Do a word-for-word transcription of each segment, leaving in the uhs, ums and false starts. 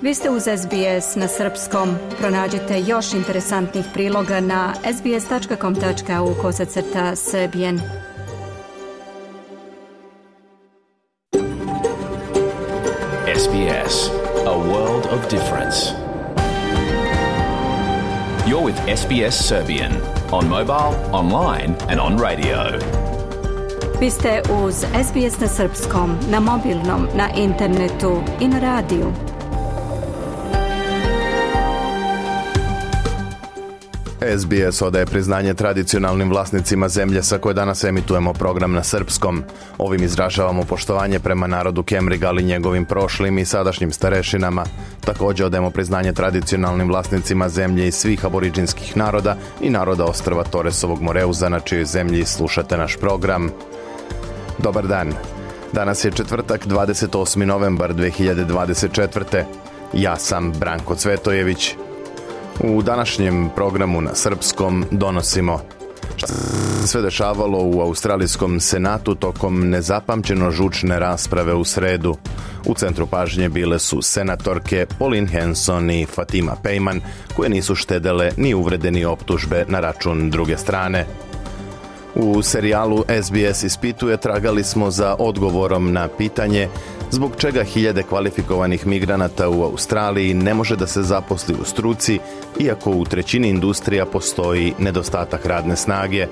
Vi ste uz S B S na srpskom. Pronađite još interesantnih priloga na sbs.com.au kosacrta srbijen. S B S, a world of difference. You're with S B S Serbian on mobile, online and on radio. Vi ste uz S B S na srpskom, na mobilnom, na internetu i na radiju. S B S odaje priznanje tradicionalnim vlasnicima zemlje sa koje danas emitujemo program na srpskom. Ovim izražavamo poštovanje prema narodu Kemriga, ali njegovim prošlim i sadašnjim starešinama. Također odajemo priznanje tradicionalnim vlasnicima zemlje i svih aboriđinskih naroda i naroda ostrva Toresovog Moreuza, na čijoj zemlji slušate naš program. Dobar dan. Danas je četvrtak, dvadeset osmi novembar dve hiljade dvadeset četvrte. Ja sam Branko Cvetojević. U današnjem programu na srpskom donosimo šta se sve dešavalo u Australijskom senatu tokom nezapamćeno žučne rasprave u sredu. U centru pažnje bile su senatorke Pauline Hanson i Fatima Pejman, koje nisu štedele ni uvrede ni optužbe na račun druge strane. U serijalu S B S ispituje tragali smo za odgovorom na pitanje zbog čega hiljade kvalifikovanih migranata u Australiji ne može da se zaposli u struci, iako u trećini industrija postoji nedostatak radne snage.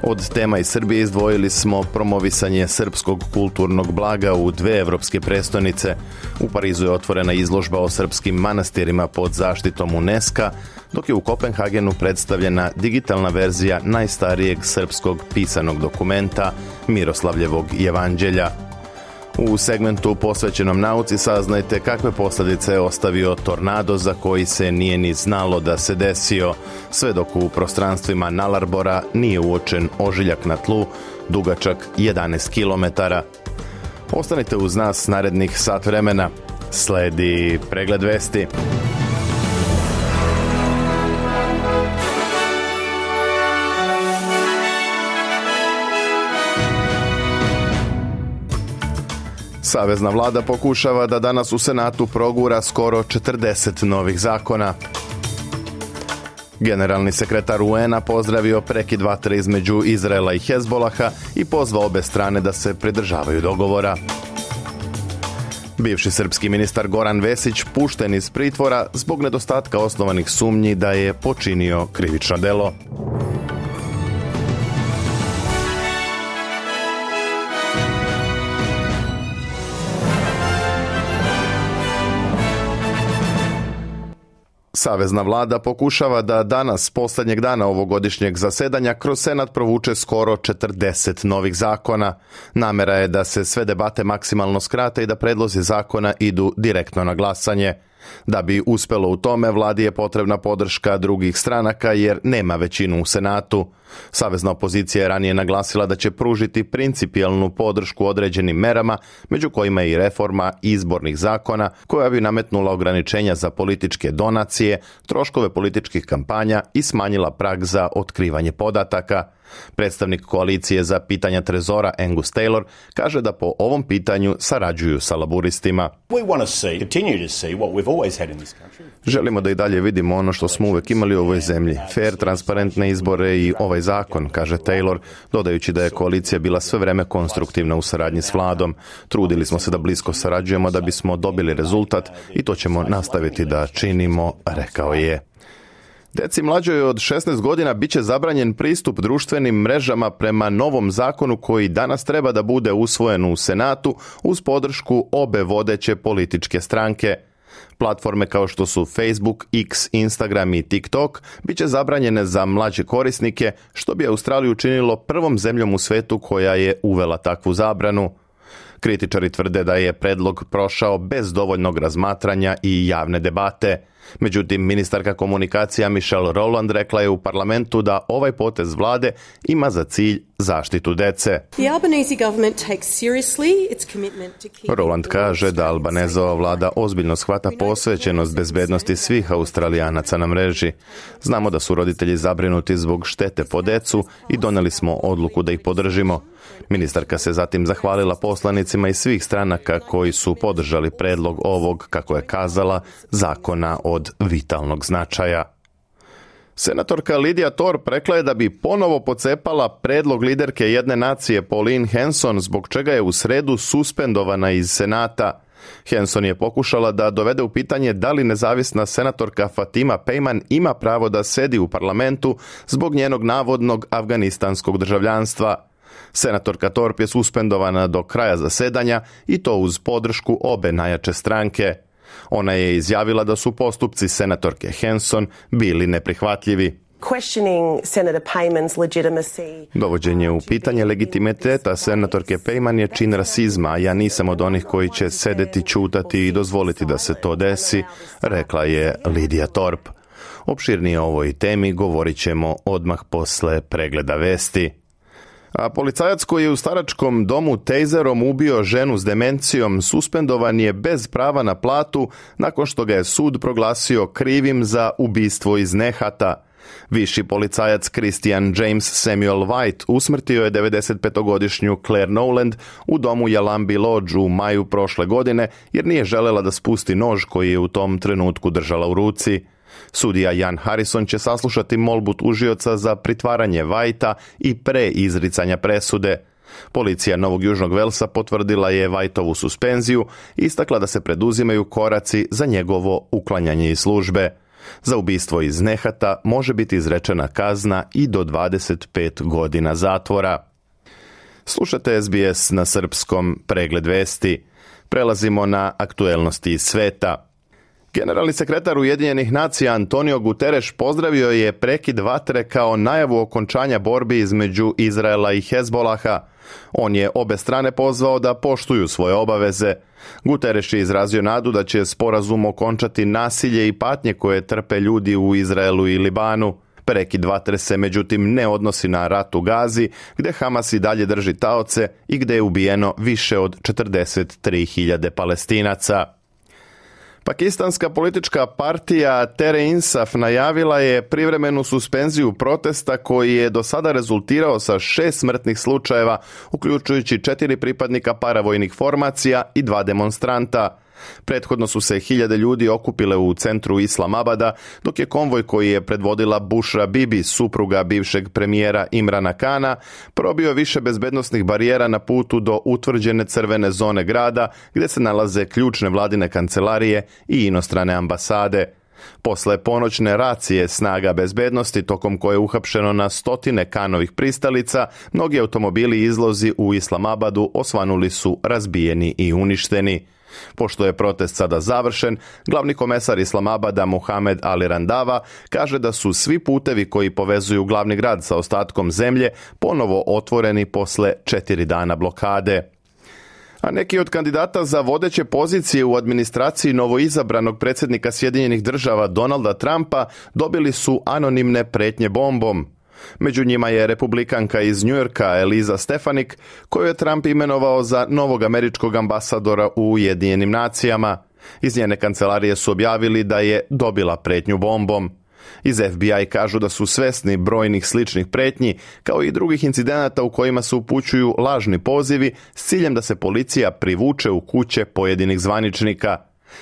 Od tema iz Srbije izdvojili smo promovisanje srpskog kulturnog blaga u dve evropske prestonice. U Parizu je otvorena izložba o srpskim manastirima pod zaštitom UNESCO, dok je u Kopenhagenu predstavljena digitalna verzija najstarijeg srpskog pisanog dokumenta Miroslavljevog jevanđelja. U segmentu posvećenom nauci saznajte kakve posljedice je ostavio tornado za koji se nije ni znalo da se desio, sve dok u prostranstvima Nalarbora nije uočen ožiljak na tlu, dugačak jedanaest kilometara. Ostanite uz nas narednih sat vremena. Sledi pregled vesti. Savezna vlada pokušava da danas u Senatu progura skoro četrdeset novih zakona. Generalni sekretar U N-a pozdravio prekid vatre između Izraela i Hezbolaha i pozvao obe strane da se pridržavaju dogovora. Bivši srpski ministar Goran Vesić pušten iz pritvora zbog nedostatka osnovanih sumnji da je počinio krivično delo. Savezna vlada pokušava da danas, posljednjeg dana ovogodišnjeg zasedanja, kroz Senat provuče skoro četrdeset novih zakona. Namera je da se sve debate maksimalno skrate i da predlozi zakona idu direktno na glasanje. Da bi uspelo u tome, vladi je potrebna podrška drugih stranaka jer nema većinu u Senatu. Savezna opozicija je ranije naglasila da će pružiti principijelnu podršku određenim merama, među kojima je i reforma izbornih zakona koja bi nametnula ograničenja za političke donacije, troškove političkih kampanja i smanjila prag za otkrivanje podataka. Predstavnik koalicije za pitanja trezora Angus Taylor kaže da po ovom pitanju sarađuju sa laburistima. Želimo da i dalje vidimo ono što smo uvek imali u ovoj zemlji, fair, transparentne izbore i ovaj zakon, kaže Taylor, dodajući da je koalicija bila sve vreme konstruktivna u saradnji s vladom. Trudili smo se da blisko sarađujemo da bismo dobili rezultat i to ćemo nastaviti da činimo, rekao je. Deci mlađoj od šesnaest godina bit će zabranjen pristup društvenim mrežama prema novom zakonu koji danas treba da bude usvojen u Senatu uz podršku obe vodeće političke stranke. Platforme kao što su Facebook, X, Instagram i TikTok bit će zabranjene za mlađe korisnike, što bi Australiju učinilo prvom zemljom u svetu koja je uvela takvu zabranu. Kritičari tvrde da je predlog prošao bez dovoljnog razmatranja i javne debate. Međutim, ministarka komunikacija Michelle Rowland rekla je u parlamentu da ovaj potez vlade ima za cilj zaštitu dece. Rowland kaže da Albanezova vlada ozbiljno shvata posvećenost bezbednosti svih Australijanaca na mreži. Znamo da su roditelji zabrinuti zbog štete po decu i doneli smo odluku da ih podržimo. Ministarka se zatim zahvalila poslanicima iz svih stranaka koji su podržali predlog ovog, kako je kazala, zakona od vitalnog značaja. Senatorka Lydia Thorpe rekla je da bi ponovo pocepala predlog liderke jedne nacije Pauline Hanson, zbog čega je u sredu suspendovana iz Senata. Hanson je pokušala da dovede u pitanje da li nezavisna senatorka Fatima Pejman ima pravo da sedi u parlamentu zbog njenog navodnog afganistanskog državljanstva. Senatorka Thorpe je suspendovana do kraja zasedanja i to uz podršku obe najjače stranke. Ona je izjavila da su postupci senatorke Hanson bili neprihvatljivi. Dovođenje u pitanje legitimiteta senatorke Pejman je čin rasizma, a ja nisam od onih koji će sedeti, ćutati i dozvoliti da se to desi, rekla je Lydia Thorpe. Opširnije o ovoj temi govorit ćemo odmah posle pregleda vesti. A policajac koji je u staračkom domu tejzerom ubio ženu s demencijom suspendovan je bez prava na platu nakon što ga je sud proglasio krivim za ubistvo iz nehata. Viši policajac Christian James Samuel White usmrtio je devedesetpetogodišnju Claire Nowland u domu Yalambi Lodge u maju prošle godine jer nije želela da spusti nož koji je u tom trenutku držala u ruci. Sudija Jan Harrison će saslušati molbu tužioca za pritvaranje Whitea i pre izricanja presude. Policija Novog Južnog Velsa potvrdila je Whiteovu suspenziju i istakla da se preduzimaju koraci za njegovo uklanjanje iz službe. Za ubistvo iz nehata može biti izrečena kazna i do dvadeset pet godina zatvora. Slušate S B S na srpskom, pregled vesti. Prelazimo na aktuelnosti iz sveta. Generalni sekretar Ujedinjenih nacija Antonio Guterres pozdravio je prekid vatre kao najavu okončanja borbi između Izraela i Hezbolaha. On je obe strane pozvao da poštuju svoje obaveze. Guterres je izrazio nadu da će sporazum okončati nasilje i patnje koje trpe ljudi u Izraelu i Libanu. Prekid vatre se međutim ne odnosi na rat u Gazi, gde Hamas i dalje drži taoce i gde je ubijeno više od četrdeset tri hiljade Palestinaca. Pakistanska politička partija Tehreek-e-Insaf najavila je privremenu suspenziju protesta koji je do sada rezultirao sa šest smrtnih slučajeva, uključujući četiri pripadnika paravojnih formacija i dva demonstranta. Prethodno su se hiljade ljudi okupile u centru Islamabada, dok je konvoj koji je predvodila Bushra Bibi, supruga bivšeg premijera Imrana Kana, probio više bezbednosnih barijera na putu do utvrđene crvene zone grada, gdje se nalaze ključne vladine kancelarije i inostrane ambasade. Posle ponoćne racije snaga bezbednosti, tokom koje je uhapšeno na stotine Kanovih pristalica, mnogi automobili i izlozi u Islamabadu osvanuli su razbijeni i uništeni. Pošto je protest sada završen, glavni komesar Islamabada Mohamed Ali Randava kaže da su svi putevi koji povezuju glavni grad sa ostatkom zemlje ponovo otvoreni posle četiri dana blokade. A neki od kandidata za vodeće pozicije u administraciji novoizabranog predsjednika Sjedinjenih Država Donalda Trumpa dobili su anonimne pretnje bombom. Među njima je republikanka iz Njujorka Eliza Stefanik, koju je Trump imenovao za novog američkog ambasadora u Ujedinjenim nacijama. Iz njene kancelarije su objavili da je dobila pretnju bombom. Iz F B I kažu da su svesni brojnih sličnih pretnji, kao i drugih incidenata u kojima se upućuju lažni pozivi s ciljem da se policija privuče u kuće pojedinih zvaničnika.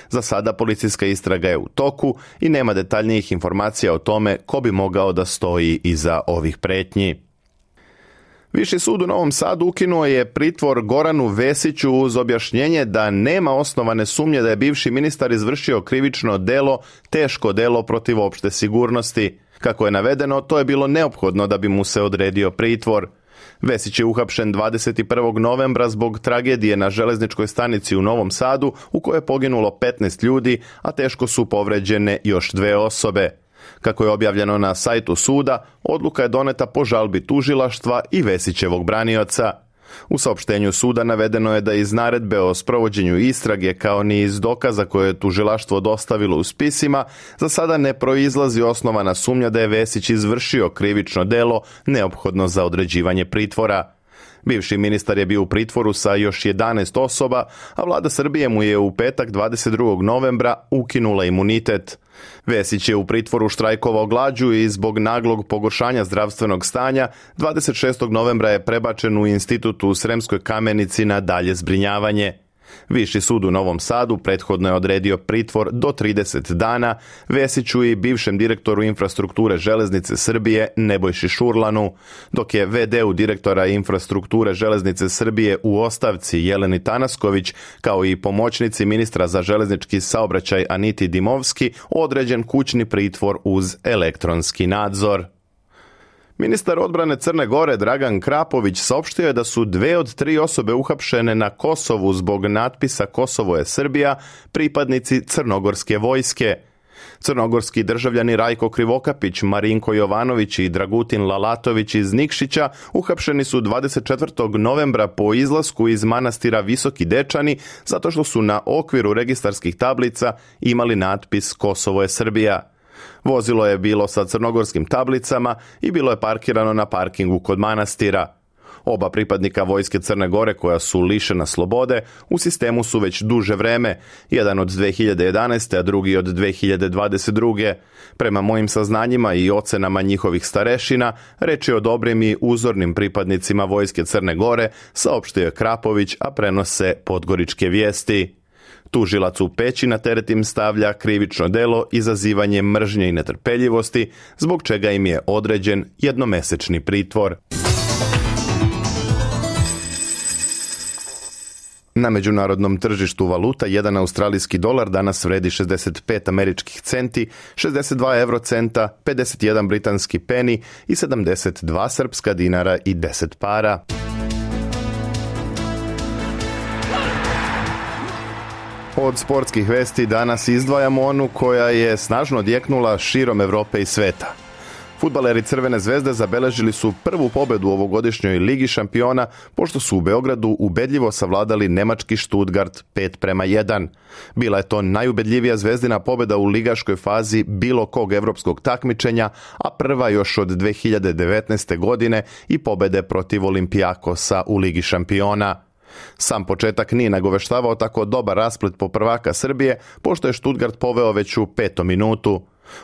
Za sada policijska istraga je u toku i nema detaljnijih informacija o tome ko bi mogao da stoji iza ovih pretnji. Viši sud u Novom Sadu ukinuo je pritvor Goranu Vesiću uz objašnjenje da nema osnovane sumnje da je bivši ministar izvršio krivično delo, teško delo protiv opšte sigurnosti. Kako je navedeno, to je bilo neophodno da bi mu se odredio pritvor. Vesić je uhapšen dvadeset prvog novembra zbog tragedije na železničkoj stanici u Novom Sadu u kojoj je poginulo petnaest ljudi, a teško su povređene još dve osobe. Kako je objavljeno na sajtu suda, odluka je doneta po žalbi tužilaštva i Vesićevog branioca. U saopštenju suda navedeno je da iz naredbe o sprovođenju istrage kao ni iz dokaza koje je tužilaštvo dostavilo u spisima za sada ne proizlazi osnovana sumnja da je Vesić izvršio krivično delo neophodno za određivanje pritvora. Bivši ministar je bio u pritvoru sa još jedanaest osoba, a vlada Srbije mu je u petak dvadeset drugog novembra ukinula imunitet. Vesić je u pritvoru štrajkovao glađu i zbog naglog pogoršanja zdravstvenog stanja dvadeset šestog novembra je prebačen u institut u Sremskoj Kamenici na dalje zbrinjavanje. Viši sud u Novom Sadu prethodno je odredio pritvor do trideset dana Vesiću i bivšem direktoru infrastrukture Železnice Srbije Nebojši Šurlanu, dok je ve de u direktora infrastrukture Železnice Srbije u ostavci Jeleni Tanasković, kao i pomoćnici ministra za železnički saobraćaj Aniti Dimovski, određen kućni pritvor uz elektronski nadzor. Ministar odbrane Crne Gore Dragan Krapović saopštio je da su dve od tri osobe uhapšene na Kosovu zbog natpisa Kosovo je Srbija pripadnici crnogorske vojske. Crnogorski državljani Rajko Krivokapić, Marinko Jovanović i Dragutin Lalatović iz Nikšića uhapšeni su dvadeset četvrtog novembra po izlasku iz manastira Visoki Dečani zato što su na okviru registarskih tablica imali natpis Kosovo je Srbija. Vozilo je bilo sa crnogorskim tablicama i bilo je parkirano na parkingu kod manastira. Oba pripadnika vojske Crne Gore koja su lišena slobode u sistemu su već duže vreme, jedan od dve hiljade jedanaeste. a drugi od dve hiljade dvadeset druge. Prema mojim saznanjima i ocenama njihovih starešina, reč je o dobrim i uzornim pripadnicima vojske Crne Gore, saopštio je Krapović, a prenose Podgoričke vijesti. Tužilac u Peći na teret im stavlja krivično delo izazivanje mržnje i netrpeljivosti, zbog čega im je određen jednomesečni pritvor. Na međunarodnom tržištu valuta jedan australijski dolar danas vredi šezdeset pet američkih centi, šezdeset dva eurocenta, pedeset jedan britanski peni i sedamdeset dva srpska dinara i deset para. Od sportskih vesti danas izdvajamo onu koja je snažno odjeknula širom Evrope i sveta. Fudbaleri Crvene zvezde zabeležili su prvu pobedu u ovogodišnjoj Ligi šampiona, pošto su u Beogradu ubedljivo savladali nemački Stuttgart pet prema jedan. Bila je to najubedljivija zvezdina pobeda u ligaškoj fazi bilo kog evropskog takmičenja, a prva još od dve hiljade devetnaeste. godine i pobede protiv Olimpijakosa u Ligi šampiona. Sam početak nije nagoveštavao tako dobar rasplet po prvaka Srbije, pošto je Stuttgart poveo već u petom minutu.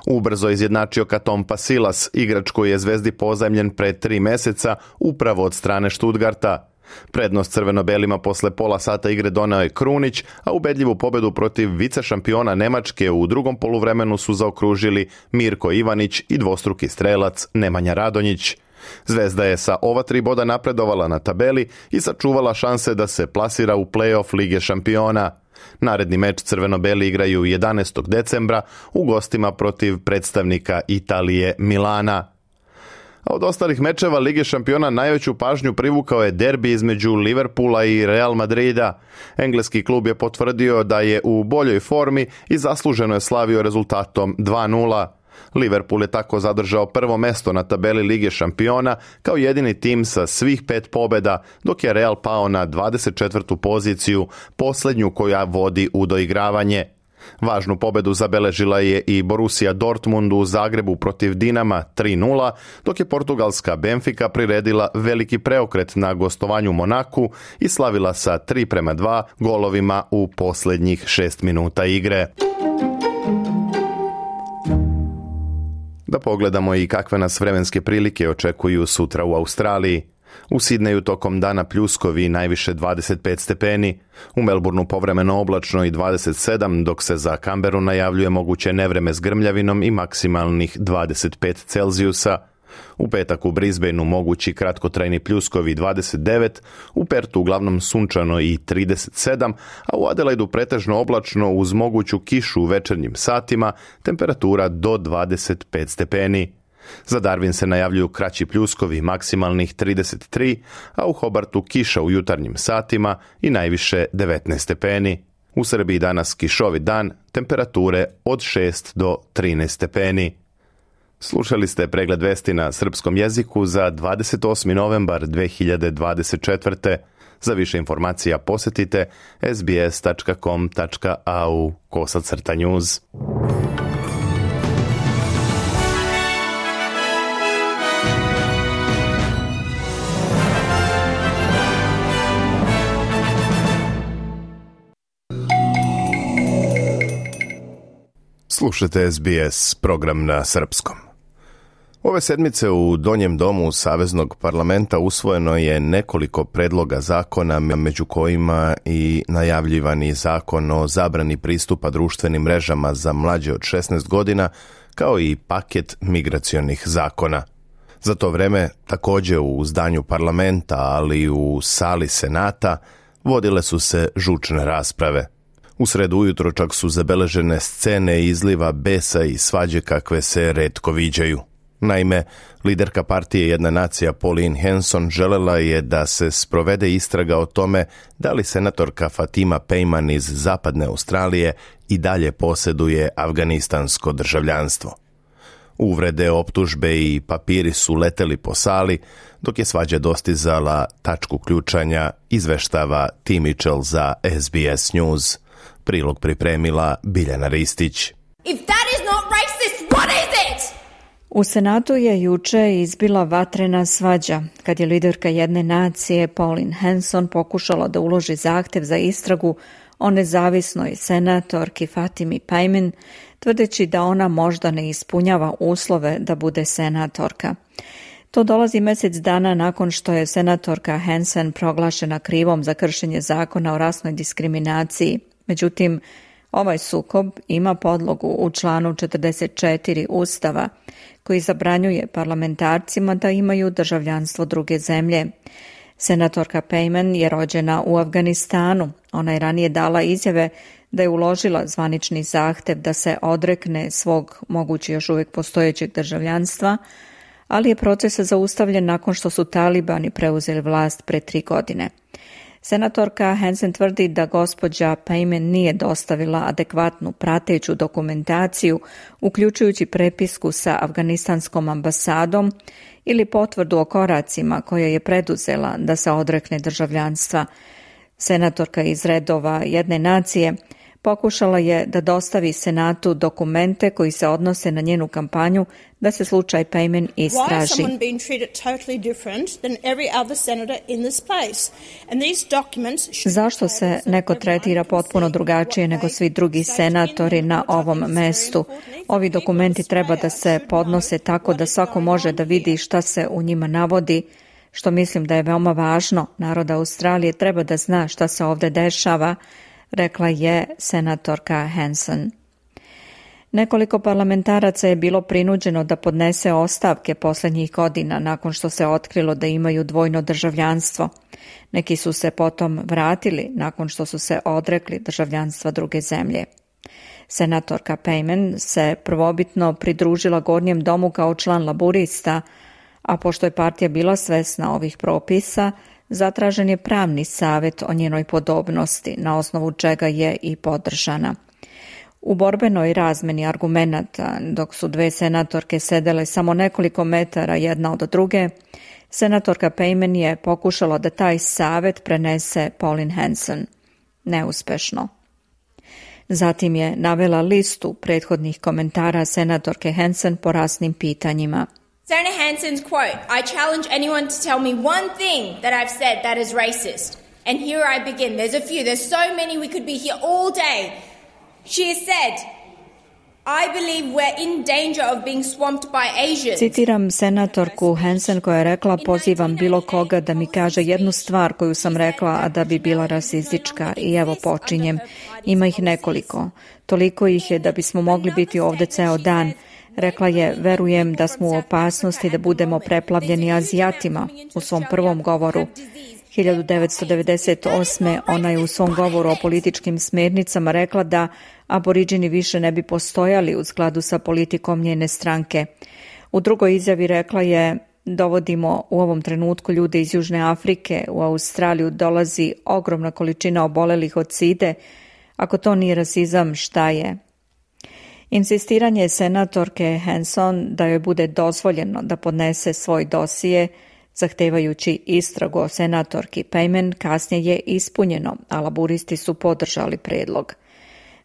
Ubrzo izjednačio Katompa Silas, igrač koji je zvezdi pozajmljen pre tri meseca, upravo od strane Stuttgarta. Prednost crveno-belima posle pola sata igre doneo je Krunić, a ubedljivu pobedu protiv vice šampiona Nemačke u drugom poluvremenu su zaokružili Mirko Ivanić i dvostruki strelac Nemanja Radonjić. Zvezda je sa ova tri boda napredovala na tabeli i sačuvala šanse da se plasira u play-off Lige šampiona. Naredni meč crveno-beli igraju jedanaestog decembra u gostima protiv predstavnika Italije Milana. A od ostalih mečeva Lige šampiona najveću pažnju privukao je derbi između Liverpoola i Real Madrida. Engleski klub je potvrdio da je u boljoj formi i zasluženo je slavio rezultatom dva nula. Liverpool je tako zadržao prvo mesto na tabeli Lige šampiona kao jedini tim sa svih pet pobjeda, dok je Real pao na dvadeset četvrtu poziciju, posljednju koja vodi u doigravanje. Važnu pobedu zabeležila je i Borussia Dortmund u Zagrebu protiv Dinama tri nula, dok je portugalska Benfica priredila veliki preokret na gostovanju Monaku i slavila sa tri prema dva golovima u posljednjih šest minuta igre. Da pogledamo i kakve nas vremenske prilike očekuju sutra u Australiji. U Sidneju tokom dana pljuskovi najviše dvadeset pet stepeni, u Melbourneu povremeno oblačno i dvadeset sedam, dok se za Canberu najavljuje moguće nevreme s grmljavinom i maksimalnih dvadeset pet Celzijusa. U petak u Brisbaneu mogući kratkotrajni pljuskovi dvadeset devet, u Pertu uglavnom sunčano i trideset sedam, a u Adelaidu pretežno oblačno uz moguću kišu u večernjim satima, temperatura do dvadeset pet stepeni. Za Darwin se najavljuju kraći pljuskovi maksimalnih trideset tri, a u Hobartu kiša u jutarnjim satima i najviše devetnaest stepeni. U Srbiji danas kišovit dan, temperature od šest do trinaest stepeni. Slušali ste pregled vesti na srpskom jeziku za dvadeset osmi novembar dve hiljade dvadeset četvrte. Za više informacija posjetite es bi es tačka com tačka a u kosacrta news. Slušajte es bi es, program na srpskom. Ove sedmice u Donjem domu Saveznog parlamenta usvojeno je nekoliko predloga zakona, među kojima i najavljivani zakon o zabrani pristupa društvenim mrežama za mlađe od šesnaest godina, kao i paket migracionih zakona. Za to vreme, također u zdanju parlamenta, ali i u sali Senata, vodile su se žučne rasprave. U sredu ujutro čak su zabeležene scene izliva besa i svađe kakve se retko viđaju. Naime, liderka partije Jedna nacija Pauline Hanson želela je da se sprovede istraga o tome da li senatorka Fatima Pejman iz Zapadne Australije i dalje posjeduje afganistansko državljanstvo. Uvrede, optužbe i papiri su leteli po sali, dok je svađa dostizala tačku ključanja, izveštava Tim Mitchell za es bi es News. Prilog pripremila Biljana Ristić. If that is not racist, what is it? U Senatu je juče izbila vatrena svađa, kad je liderka Jedne nacije Pauline Hanson pokušala da uloži zahtev za istragu o nezavisnoj senatorki Fatimi Pejman, tvrdeći da ona možda ne ispunjava uslove da bude senatorka. To dolazi mjesec dana nakon što je senatorka Hanson proglašena krivom za kršenje zakona o rasnoj diskriminaciji. Međutim, ovaj sukob ima podlogu u članu četrdeset četiri Ustava, koji zabranjuje parlamentarcima da imaju državljanstvo druge zemlje. Senatorka Pejman je rođena u Afganistanu. Ona je ranije dala izjave da je uložila zvanični zahtev da se odrekne svog mogući još uvijek postojećeg državljanstva, ali je proces zaustavljen nakon što su talibani preuzeli vlast pre tri godine. Senatorka Hanson tvrdi da gospođa Pejman nije dostavila adekvatnu prateću dokumentaciju, uključujući prepisku sa afganistanskom ambasadom ili potvrdu o koracima koje je preduzela da se odrekne državljanstva. Senatorka iz redova Jedne nacije pokušala je da dostavi Senatu dokumente koji se odnose na njenu kampanju da se slučaj Pejman istraži. Zašto se neko tretira potpuno drugačije nego svi drugi senatori na ovom mestu? Ovi dokumenti treba da se podnose tako da svako može da vidi šta se u njima navodi, što mislim da je veoma važno. Narod Australije treba da zna šta se ovdje dešava, rekla je senatorka Hanson. Nekoliko parlamentaraca je bilo prinuđeno da podnese ostavke posljednjih godina nakon što se otkrilo da imaju dvojno državljanstvo. Neki su se potom vratili nakon što su se odrekli državljanstva druge zemlje. Senatorka Pejman se prvobitno pridružila Gornjem domu kao član laburista, a pošto je partija bila svesna ovih propisa, zatražen je pravni savjet o njenoj podobnosti, na osnovu čega je i podržana. U borbenoj razmeni argumenata, dok su dve senatorke sedele samo nekoliko metara jedna od druge, senatorka Pejman je pokušala da taj savjet prenese Pauline Hanson. Neuspešno. Zatim je navela listu prethodnih komentara senatorke Hanson po rasnim pitanjima. Senator Hanson's quote, I challenge anyone to tell me one thing that I've said that is racist. And here I begin. There's a few. There's so many we could be here all day. She has said, I believe we're in danger of being swamped by Asians. Citiram senatorku Hanson koja je rekla, pozivam bilo koga da mi kaže jednu stvar koju sam rekla, a da bi bila rasistička. I evo počinjem. Ima ih nekoliko. Toliko ih je da bismo mogli biti ovdje ceo dan. Rekla je, verujem da smo u opasnosti da budemo preplavljeni Azijatima u svom prvom govoru. hiljadu devetsto devedeset osme ona je u svom govoru o političkim smernicama rekla da aboriđini više ne bi postojali u skladu sa politikom njene stranke. U drugoj izjavi rekla je, dovodimo u ovom trenutku ljude iz Južne Afrike, u Australiju dolazi ogromna količina obolelih od side. Ako to nije rasizam, šta je? Insistiranje senatorke Hanson da joj bude dozvoljeno da podnese svoj dosije, zahtevajući istragu o senatorki Payman, kasnije je ispunjeno, a laburisti su podržali predlog.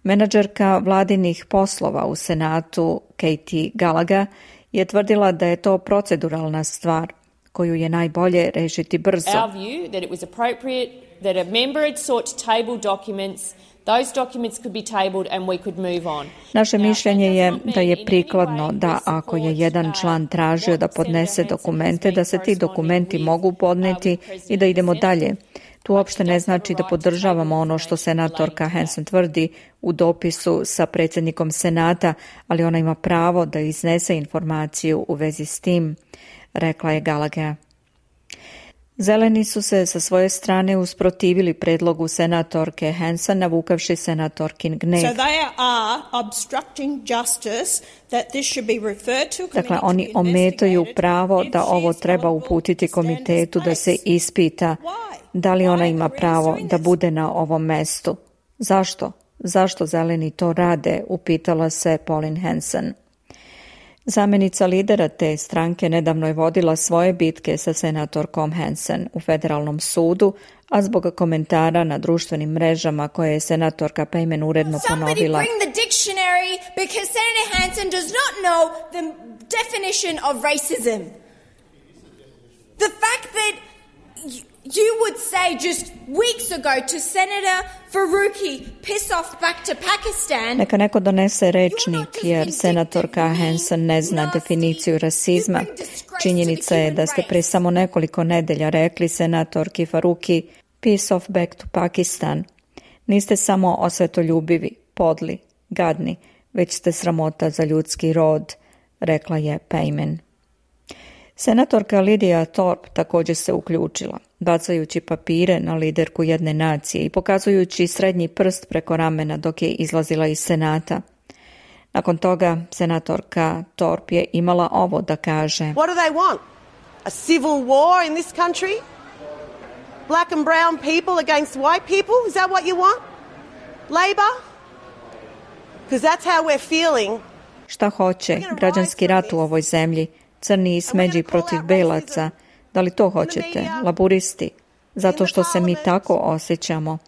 Menadžerka vladinih poslova u Senatu Katie Gallagher je tvrdila da je to proceduralna stvar koju je najbolje rešiti brzo. Our view that it was appropriate that a member had sought to table documents. Those documents could be tabled and we could move on. Naše mišljenje je da je prikladno da ako je jedan član tražio da podnese dokumente, da se ti dokumenti mogu podneti i da idemo dalje. To uopšte ne znači da podržavamo ono što senatorka Hanson tvrdi u dopisu sa predsjednikom Senata, ali ona ima pravo da iznese informaciju u vezi s tim, rekla je Gallagher. Zeleni su se sa svoje strane usprotivili predlogu senatorke Hanson, navukavši senatorkin gnev. So they are obstructing justice that this should be referred to. Dakle, oni ometaju pravo da ovo treba uputiti komitetu da se ispita da li ona ima pravo da bude na ovom mestu. Zašto? Zašto zeleni to rade? Upitala se Pauline Hanson. Zamjenica lidera te stranke nedavno je vodila svoje bitke sa senatorkom Hanson u federalnom sudu, a zbog komentara na društvenim mrežama koje je senatorka Payman uredno ponovila. Somebody bring the dictionary because Senator Hanson does not know the definition of racism. The fact that you would say just weeks ago to Senator Faruqi, piss off back to Pakistan. Neka neko donese rečnik, jer senatorka Hanson ne zna definiciju rasizma. Činjenica je da ste pre samo nekoliko nedelja rekli senatorki Faruqi, piss off back to Pakistan. Niste samo osvetoljubivi, podli, gadni, već ste sramota za ljudski rod, rekla je Payman. Senatorka Lydia Thorpe također se uključila, bacajući papire na liderku jedne nacije i pokazujući srednji prst preko ramena dok je izlazila iz Senata. Nakon toga, senatorka Thorpe je imala ovo da kaže. What do they want? A civil war in this country? Black and brown people against white people? Is that what you want? Labor? Because that's how we're feeling. Šta hoće? Građanski rat u ovoj zemlji. Crni i smeđi protiv belaca. Da li to hoćete? Laburisti. Zato što se mi tako osjećamo.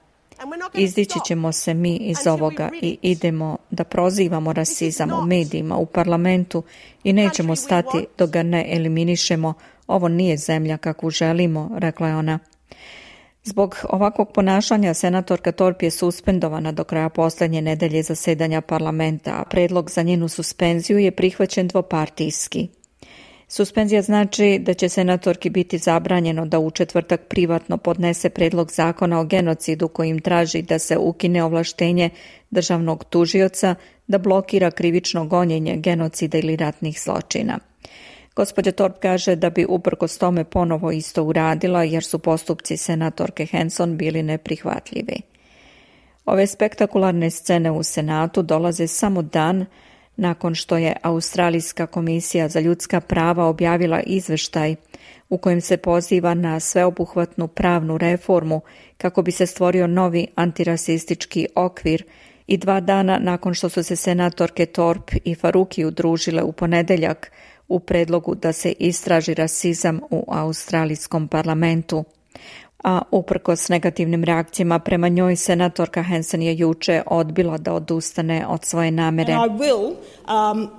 Izdići ćemo se mi iz ovoga i idemo da prozivamo rasizam u medijima, u parlamentu i nećemo stati dok ga ne eliminišemo. Ovo nije zemlja kakvu želimo, rekla je ona. Zbog ovakvog ponašanja senatorka Thorpe je suspendovana do kraja posljednje nedelje zasedanja parlamenta, a predlog za njenu suspenziju je prihvaćen dvopartijski. Suspenzija znači da će senatorki biti zabranjeno da u četvrtak privatno podnese predlog zakona o genocidu kojim traži da se ukine ovlaštenje državnog tužioca da blokira krivično gonjenje genocida ili ratnih zločina. Gospođa Thorpe kaže da bi uprkos tome ponovo isto uradila jer su postupci senatorke Hanson bili neprihvatljivi. Ove spektakularne scene u Senatu dolaze samo dan nakon što je Australijska komisija za ljudska prava objavila izveštaj u kojem se poziva na sveobuhvatnu pravnu reformu kako bi se stvorio novi antirasistički okvir i dva dana nakon što su se senatorke Thorpe i Faruqi udružile u ponedeljak u predlogu da se istraži rasizam u australijskom parlamentu. A uprkos negativnim reakcijama prema njoj, senatorka Hanson je juče odbila da odustane od svoje namere. And I will um,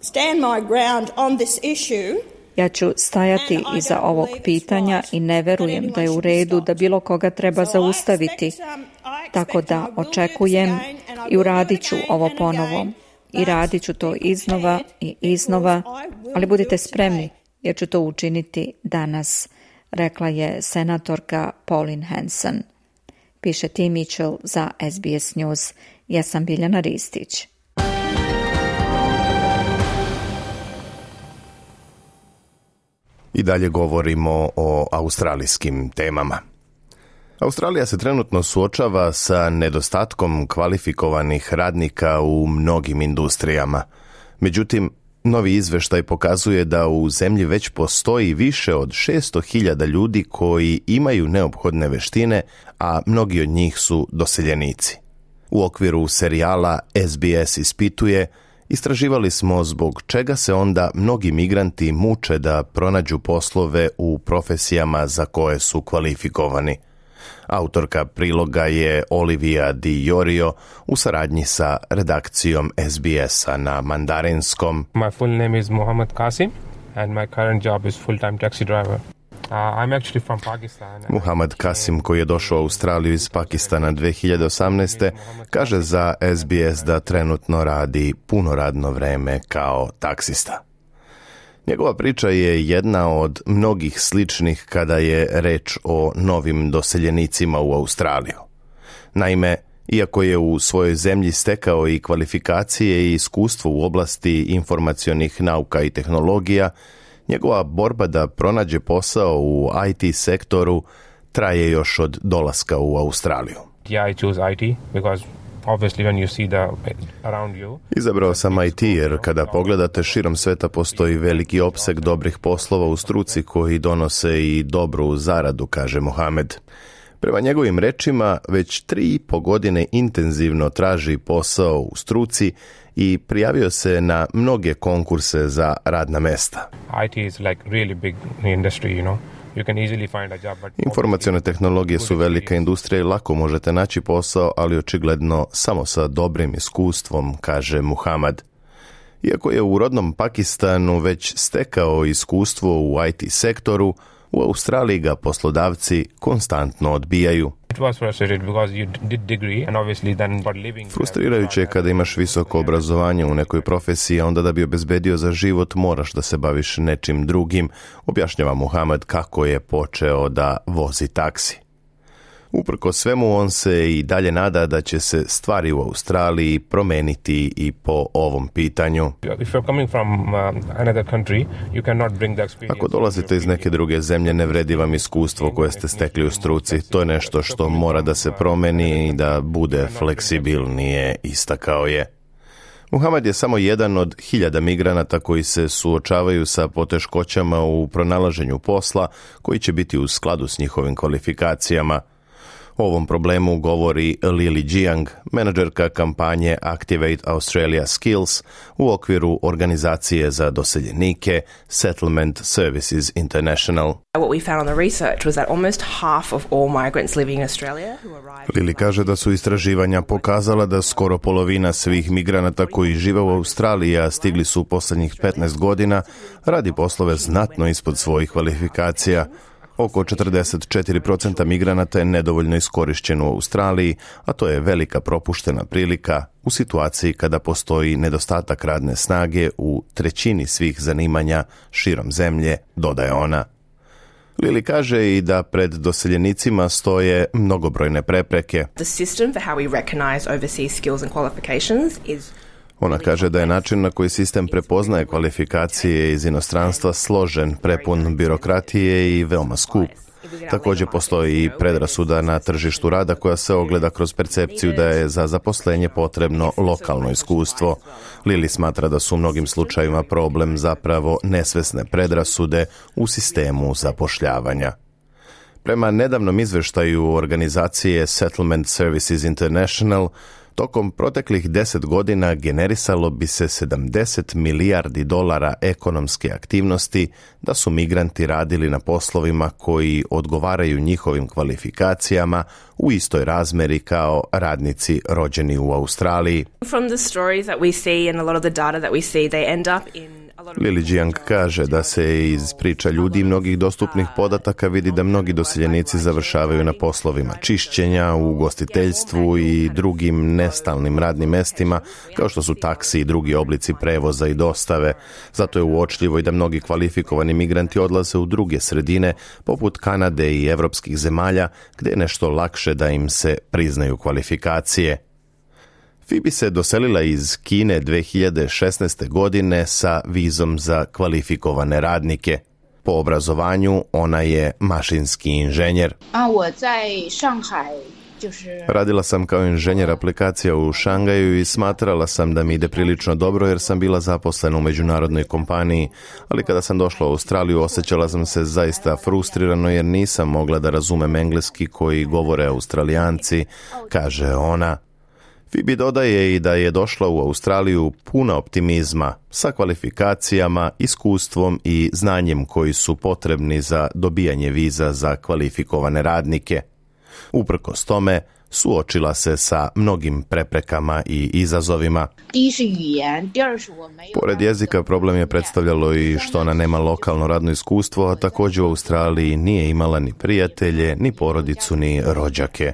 stand my ground on this issue. Ja ću stajati iza ovog pitanja i ne verujem da je u redu da bilo koga treba zaustaviti. Tako da očekujem i uradit ću ovo ponovo. I radit ću to iznova i iznova, ali budite spremni jer ću to učiniti danas, rekla je senatorka Pauline Hanson. Piše Tim Mitchell za S B S News. Ja sam Biljana Ristić. I dalje govorimo o australijskim temama. Australija se trenutno suočava sa nedostatkom kvalifikovanih radnika u mnogim industrijama. Međutim, novi izveštaj pokazuje da u zemlji već postoji više od šesto hiljada ljudi koji imaju neophodne veštine, a mnogi od njih su doseljenici. U okviru serijala S B S ispituje istraživali smo zbog čega se onda mnogi migranti muče da pronađu poslove u profesijama za koje su kvalifikovani. Autorka priloga je Olivia Di Iorio u saradnji sa redakcijom S B S-a na mandarinskom. My full name is Mohammed Qasim and my current job is full-time taxi driver. Uh, I'm actually from Pakistan. Muhammad Qasim, koji je došao u Australiju iz Pakistana dve hiljade osamnaeste. kaže za S B S da trenutno radi puno radno vreme kao taksista. Njegova priča je jedna od mnogih sličnih kada je reč o novim doseljenicima u Australiju. Naime, iako je u svojoj zemlji stekao i kvalifikacije i iskustvo u oblasti informacionih nauka i tehnologija, njegova borba da pronađe posao u I T sektoru traje još od dolaska u Australiju. Yeah, I choose I T because obviously when you see the around you. Izabrao sam I T jer kada pogledate širom sveta postoji veliki opseg dobrih poslova u struci koji donose i dobru zaradu, kaže Mohamed. Prema njegovim rečima, već tri i po godine intenzivno traži posao u struci i prijavio se na mnoge konkurse za radna mesta. I T is like really big industry, you know. You can easily find a job, but informacione tehnologije su velika industrija i lako možete naći posao, ali očigledno samo sa dobrim iskustvom, kaže Muhammad. Iako je u rodnom Pakistanu već stekao iskustvo u I T sektoru, u Australiji ga poslodavci konstantno odbijaju. Frustrirajuće je kada imaš visoko obrazovanje u nekoj profesiji, a onda da bi obezbedio za život moraš da se baviš nečim drugim, objašnjava Muhammad kako je počeo da vozi taksi. Uprkos svemu, on se i dalje nada da će se stvari u Australiji promeniti i po ovom pitanju. Ako dolazite iz neke druge zemlje, ne vredi vam iskustvo koje ste stekli u struci. To je nešto što mora da se promeni i da bude fleksibilnije, istakao je. Muhammad je samo jedan od hiljada migranata koji se suočavaju sa poteškoćama u pronalaženju posla koji će biti u skladu s njihovim kvalifikacijama. O ovom problemu govori Lily Jiang, menadžerka kampanje Activate Australia Skills u okviru organizacije za doseljenike Settlement Services International. What we found on the research was that almost half of all migrants living in Australia who arrived. Lily kaže da su istraživanja pokazala da skoro polovina svih migranata koji žive u Australiji, a stigli su u posljednjih petnaest godina, radi poslove znatno ispod svojih kvalifikacija. Oko četrdeset četiri posto migranata je nedovoljno iskorišćeno u Australiji, a to je velika propuštena prilika u situaciji kada postoji nedostatak radne snage u trećini svih zanimanja širom zemlje, dodaje ona. Lily kaže i da pred doseljenicima stoje mnogobrojne prepreke. The system for how we recognize overseas skills and qualifications is Ona kaže da je način na koji sistem prepoznaje kvalifikacije iz inostranstva složen, prepun birokratije i veoma skup. Također postoji i predrasuda na tržištu rada koja se ogleda kroz percepciju da je za zaposlenje potrebno lokalno iskustvo. Lily smatra da su u mnogim slučajevima problem zapravo nesvesne predrasude u sistemu zapošljavanja. Prema nedavnom izveštaju organizacije Settlement Services International, tokom proteklih deset godina generisalo bi se sedamdeset milijardi dolara ekonomske aktivnosti da su migranti radili na poslovima koji odgovaraju njihovim kvalifikacijama u istoj razmeri kao radnici rođeni u Australiji. From the stories that we see and a lot of the data that we see, they end up in Lily Jiang kaže da se iz priča ljudi i mnogih dostupnih podataka vidi da mnogi doseljenici završavaju na poslovima čišćenja, u ugostiteljstvu i drugim nestalnim radnim mestima, kao što su taksi i drugi oblici prevoza i dostave. Zato je uočljivo i da mnogi kvalifikovani migranti odlaze u druge sredine, poput Kanade i evropskih zemalja, gdje je nešto lakše da im se priznaju kvalifikacije. Phoebe se doselila iz Kine dve hiljade šesnaeste. godine sa vizom za kvalifikovane radnike. Po obrazovanju ona je mašinski inženjer. Radila sam kao inženjer aplikacija u Šangaju i smatrala sam da mi ide prilično dobro jer sam bila zaposlena u međunarodnoj kompaniji, ali kada sam došla u Australiju osjećala sam se zaista frustrirano jer nisam mogla da razumem engleski koji govore Australijanci, kaže ona. Phoebe dodaje i da je došla u Australiju puna optimizma, sa kvalifikacijama, iskustvom i znanjem koji su potrebni za dobijanje viza za kvalifikovane radnike. Uprkos tome, suočila se sa mnogim preprekama i izazovima. Pored jezika, problem je predstavljalo i što ona nema lokalno radno iskustvo, a također u Australiji nije imala ni prijatelje, ni porodicu, ni rođake.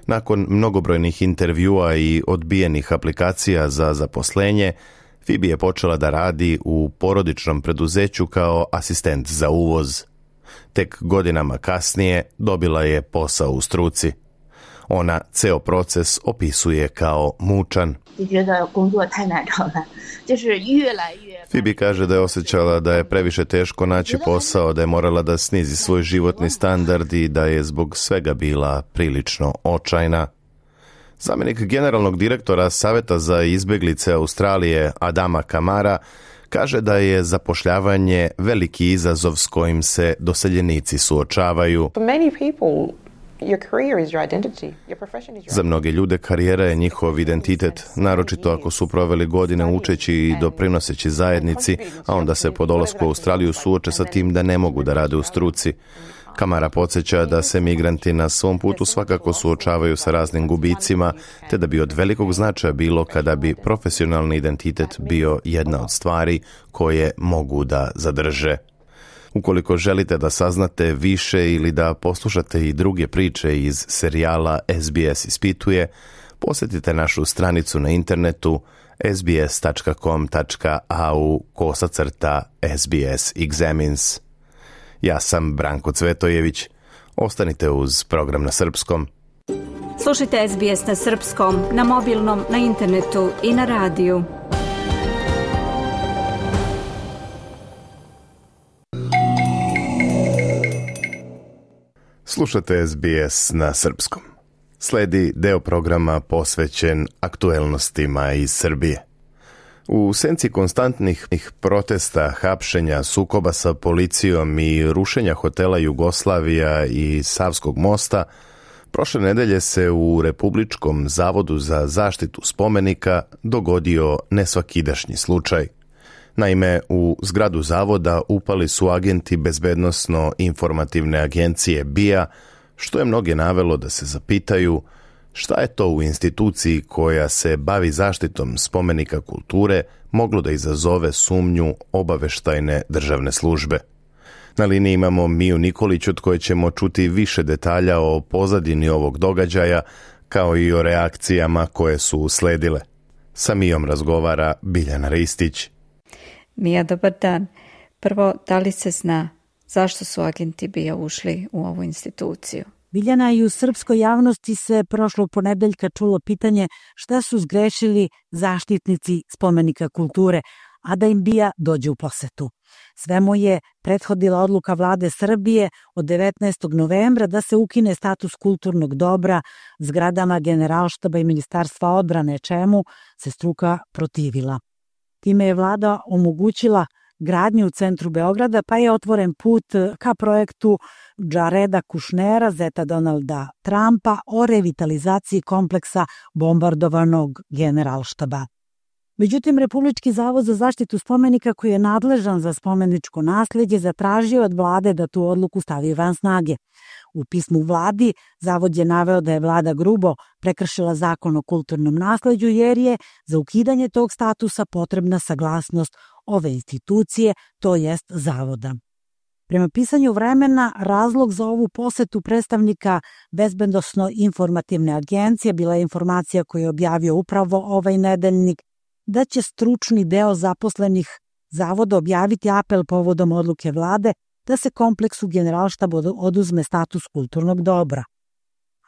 Nakon mnogobrojnih intervjua i odbijenih aplikacija za zaposlenje, Phoebe je počela da radi u porodičnom preduzeću kao asistent za uvoz. Tek godinama kasnije dobila je posao u struci. Ona ceo proces opisuje kao mučan. Phoebe kaže da je osjećala da je previše teško naći posao, da je morala da snizi svoj životni standard i da je zbog svega bila prilično očajna. Zamjenik generalnog direktora Saveta za izbjeglice Australije Adama Kamara kaže da je zapošljavanje veliki izazov s kojim se doseljenici suočavaju. Za mnoge ljude karijera je njihov identitet, naročito ako su proveli godine učeći i doprinoseći zajednici, a onda se po dolasku u Australiju suoče sa tim da ne mogu da rade u struci. Kamara podsjeća da se migranti na svom putu svakako suočavaju sa raznim gubicima, te da bi od velikog značaja bilo kada bi profesionalni identitet bio jedna od stvari koje mogu da zadrže. Ukoliko želite da saznate više ili da poslušate i druge priče iz serijala S B S ispituje, posjetite našu stranicu na internetu s b s tačka com tačka a u kosacrta S B S Examines. Ja sam Branko Cvetojević. Ostanite uz program na srpskom. Slušajte S B S na srpskom, na mobilnom, na internetu i na radiju. Slušate S B S na srpskom. Sledi deo programa posvećen aktuelnostima iz Srbije. U senci konstantnih protesta, hapšenja, sukoba sa policijom i rušenja hotela Jugoslavija i Savskog mosta, prošle nedelje se u Republičkom zavodu za zaštitu spomenika dogodio nesvakidašnji slučaj. Naime, u zgradu zavoda upali su agenti bezbednosno-informativne agencije B I A, što je mnoge navelo da se zapitaju šta je to u instituciji koja se bavi zaštitom spomenika kulture moglo da izazove sumnju obaveštajne državne službe. Na liniji imamo Miju Nikolić od koje ćemo čuti više detalja o pozadini ovog događaja, kao i o reakcijama koje su usledile. Sa Mijom razgovara Biljana Ristić. Mija, dobar dan. Prvo, da li se zna zašto su agenti B I A ušli u ovu instituciju? Biljana, i u srpskoj javnosti se prošlog ponedeljka čulo pitanje šta su zgrešili zaštitnici spomenika kulture, a da im B I A dođe u posetu. Svemu je prethodila odluka vlade Srbije od devetnaestog novembra da se ukine status kulturnog dobra zgradama Generalštaba i Ministarstva odbrane, čemu se struka protivila. Time je vlada omogućila gradnju u centru Beograda, pa je otvoren put ka projektu Jareda Kušnera, zeta Donalda Trumpa, o revitalizaciji kompleksa bombardovanog Generalštaba. Međutim, Republički zavod za zaštitu spomenika, koji je nadležan za spomeničko naslijeđe, zatražio od vlade da tu odluku stavi van snage. U pismu vladi zavod je naveo da je vlada grubo prekršila zakon o kulturnom nasleđu, jer je za ukidanje tog statusa potrebna saglasnost ove institucije, to jest zavoda. Prema pisanju Vremena, razlog za ovu posetu predstavnika Bezbednosno-informativne agencije bila je informacija koju je objavio upravo ovaj nedeljnik, da će stručni deo zaposlenih zavoda objaviti apel povodom odluke vlade da se kompleksu Generalštaba oduzme status kulturnog dobra.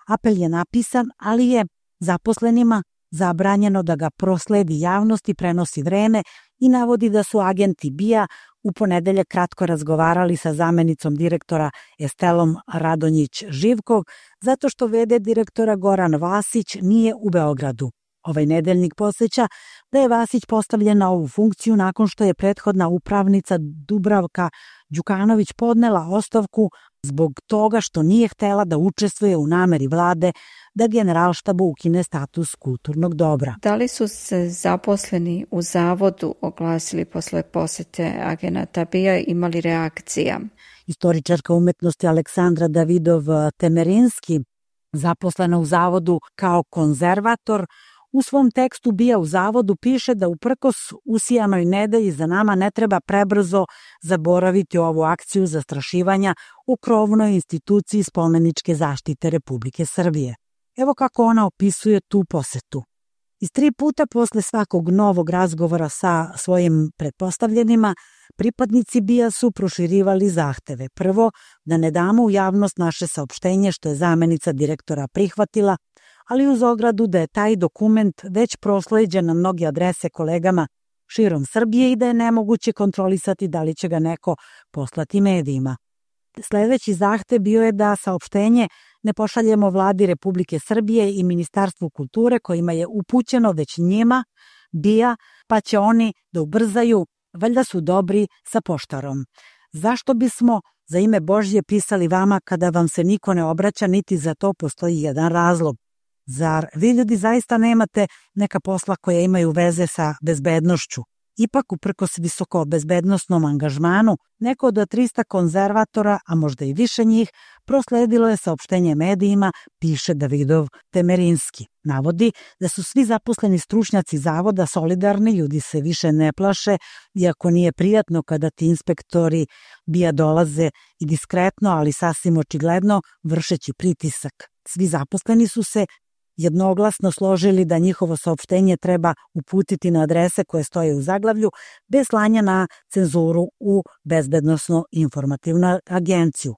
Apel je napisan, ali je zaposlenima zabranjeno da ga prosledi javnosti, prenosi Vreme i navodi da su agenti B I A u ponedeljak kratko razgovarali sa zamenicom direktora Estelom Radonjić-Živkog, zato što v d direktora Goran Vasić nije u Beogradu. Ovaj nedeljnik podsjeća da je Vasić postavljen na ovu funkciju nakon što je prethodna upravnica Dubravka Đukanović podnela ostavku zbog toga što nije htela da učestvuje u nameri vlade da Generalštabu ukine status kulturnog dobra. Da li su se zaposleni u zavodu oglasili posle posete agenata B I A, imali reakcija? Istoričarka umetnosti Aleksandra Davidov-Temerinski, zaposlena u zavodu kao konzervator, u svom tekstu B I A u zavodu piše da uprkos usijanoj nedelji za nama ne treba prebrzo zaboraviti ovu akciju zastrašivanja u krovnoj instituciji spomeničke zaštite Republike Srbije. Evo kako ona opisuje tu posetu. Iz tri puta posle svakog novog razgovora sa svojim pretpostavljenima, pripadnici B I A su proširivali zahteve. Prvo, da ne damo u javnost naše saopštenje što je zamenica direktora prihvatila, ali uz ogradu da je taj dokument već prosleđen na mnoge adrese kolegama širom Srbije i da je nemoguće kontrolisati da li će ga neko poslati medijima. Sledeći zahtev bio je da saopštenje ne pošaljemo vladi Republike Srbije i Ministarstvu kulture kojima je upućeno već njima, B I A, pa će oni da ubrzaju, valjda su dobri sa poštarom. Zašto bismo za ime Božje pisali vama kada vam se niko ne obraća, niti za to postoji jedan razlog? Zar vi ljudi zaista nemate neka posla koja imaju veze sa bezbednošću? Ipak, uprkos visoko bezbednosnom angažmanu, neko od trista konzervatora, a možda i više njih, prosledilo je saopštenje medijima, piše Davidov-Temerinski. Navodi da su svi zaposleni stručnjaci zavoda solidarni, ljudi se više ne plaše, iako nije prijatno kada ti inspektori B I A dolaze i diskretno, ali sasvim očigledno, vršeći pritisak. Svi zaposleni su se jednoglasno složili da njihovo saopštenje treba uputiti na adrese koje stoje u zaglavlju, bez slanja na cenzuru u Bezbednosno-informativnu agenciju.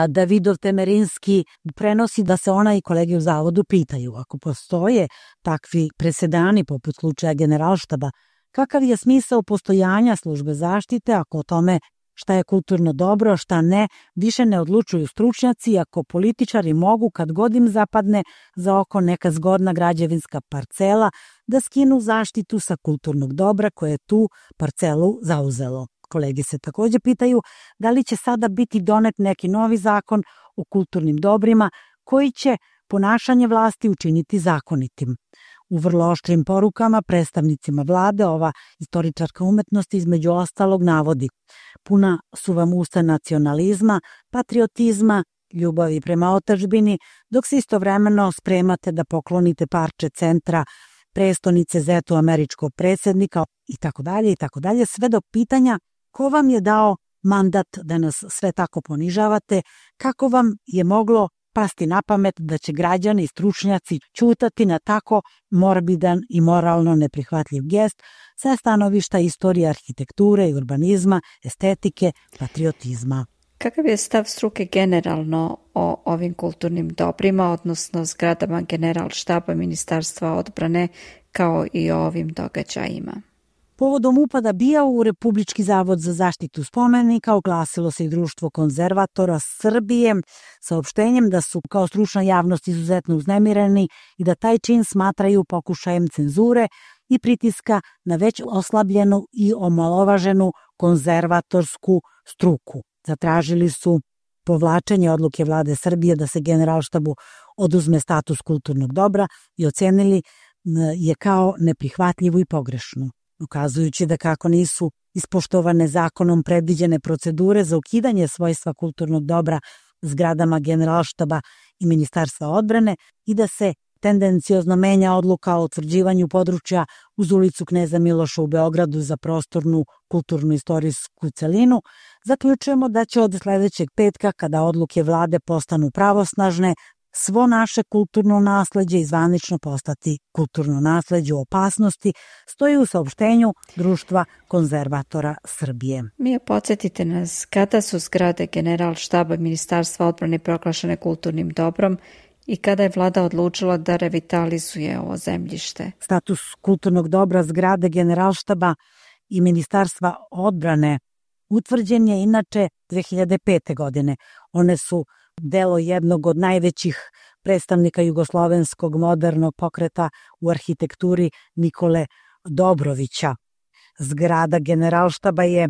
Davidov-Temerinski prenosi da se ona i kolege u zavodu pitaju, ako postoje takvi presedani poput slučaja Generalštaba, kakav je smisao postojanja službe zaštite ako o tome šta je kulturno dobro, šta ne, više ne odlučuju stručnjaci, ako političari mogu, kad god im zapadne za oko neka zgodna građevinska parcela, da skinu zaštitu sa kulturnog dobra koje je tu parcelu zauzelo. Kolege se takođe pitaju da li će sada biti donet neki novi zakon o kulturnim dobrima koji će ponašanje vlasti učiniti zakonitim. U vrlo oštrim porukama predstavnicima vlade ova istoričarka umetnosti između ostalog navodi: puna su vam usta nacionalizma, patriotizma, ljubavi prema otadžbini, dok se istovremeno spremate da poklonite parče centra prestonice zetu američkog predsjednika i tako dalje i tako dalje, sve do pitanja ko vam je dao mandat da nas sve tako ponižavate, kako vam je moglo pasti na pamet da će građani i stručnjaci ćutati na tako morbidan i moralno neprihvatljiv gest sa stanovišta istorije arhitekture i urbanizma, estetike, patriotizma. Kakav je stav struke generalno o ovim kulturnim dobrima, odnosno zgradama Generalštaba Ministarstva odbrane, kao i o ovim događajima? Povodom upada B I A u Republički zavod za zaštitu spomenika oglasilo se i Društvo konzervatora Srbije saopštenjem da su kao stručna javnost izuzetno uznemireni i da taj čin smatraju pokušajem cenzure i pritiska na već oslabljenu i omalovaženu konzervatorsku struku. Zatražili su povlačenje odluke vlade Srbije da se Generalštabu oduzme status kulturnog dobra i ocenili je kao neprihvatljivu i pogrešnu, ukazujući da kako nisu ispoštovane zakonom predviđene procedure za ukidanje svojstva kulturnog dobra zgradama Generalštaba i Ministarstva odbrane i da se tendenciozno menja odluka o utvrđivanju područja uz ulicu Kneza Miloša u Beogradu za prostornu kulturno-istorijsku celinu, zaključujemo da će od sledećeg petka, kada odluke vlade postanu pravosnažne, svo naše kulturno nasleđe i zvanično postati kulturno nasleđe u opasnosti, stoji u saopštenju Društva konzervatora Srbije. Mija, podsjetite nas, kada su zgrade Generalštaba Ministarstva odbrane proglašene kulturnim dobrom i kada je vlada odlučila da revitalizuje ovo zemljište? Status kulturnog dobra zgrade Generalštaba i Ministarstva odbrane utvrđen je inače dve hiljade pete. godine. One su delo jednog od najvećih predstavnika jugoslovenskog modernog pokreta u arhitekturi Nikole Dobrovića. Zgrada Generalštaba je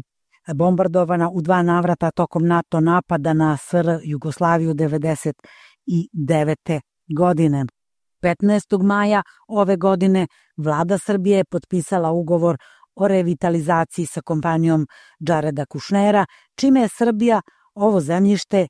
bombardovana u dva navrata tokom NATO napada na S R Jugoslaviju devedeset devete godine. petnaestog maja ove godine vlada Srbije je potpisala ugovor o revitalizaciji sa kompanijom Jareda Kušnera, čime je Srbija ovo zemljište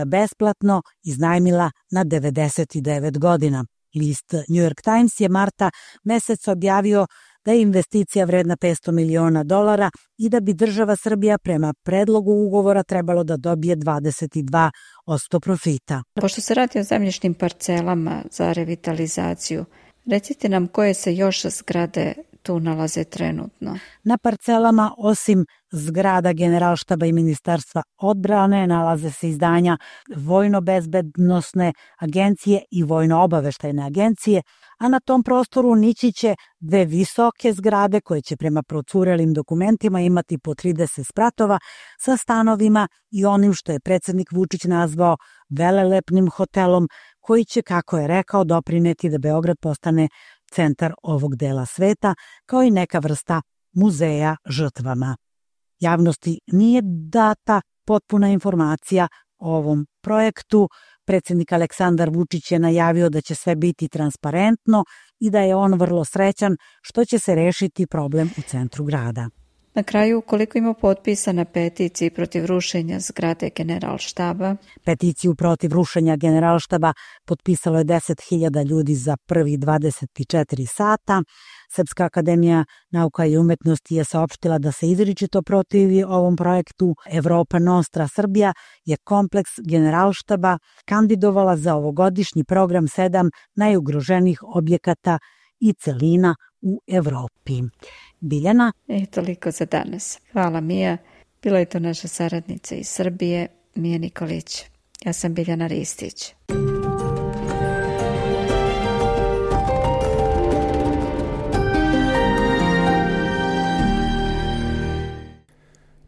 besplatno iznajmila na devedeset devet godina. List New York Times je marta meseca objavio da je investicija vredna petsto miliona dolara i da bi država Srbija prema predlogu ugovora trebalo da dobije dvadeset dva posto profita. Pošto se radi o zemljišnim parcelama za revitalizaciju, recite nam koje se još zgrade tu nalaze trenutno. Na parcelama, osim zgrada Generalštaba i Ministarstva odbrane, nalaze se izdanja Vojno-bezbednosne agencije i Vojno-obaveštajne agencije, a na tom prostoru nići će dve visoke zgrade koje će prema procurelim dokumentima imati po trideset spratova sa stanovima i onim što je predsednik Vučić nazvao velelepnim hotelom koji će, kako je rekao, doprineti da Beograd postane centar ovog dela sveta, kao i neka vrsta muzeja žrtvama. Javnosti nije data potpuna informacija o ovom projektu. Predsednik Aleksandar Vučić je najavio da će sve biti transparentno i da je on vrlo srećan što će se rešiti problem u centru grada. Na kraju, koliko ima potpisa na peticiji protiv rušenja zgrade Generalštaba? Peticiju protiv rušenja Generalštaba potpisalo je deset hiljada ljudi za prvi dvadeset četiri sata. Srpska akademija nauka i umetnosti je saopštila da se izričito protivi ovom projektu. Evropa Nostra Srbija je kompleks Generalštaba kandidovala za ovogodišnji program sedam najugroženijih objekata i celina u Evropi. Biljana? E, toliko za danas. Hvala, Mija. Bila je to naša saradnica iz Srbije, Mija Nikolić. Ja sam Biljana Ristić.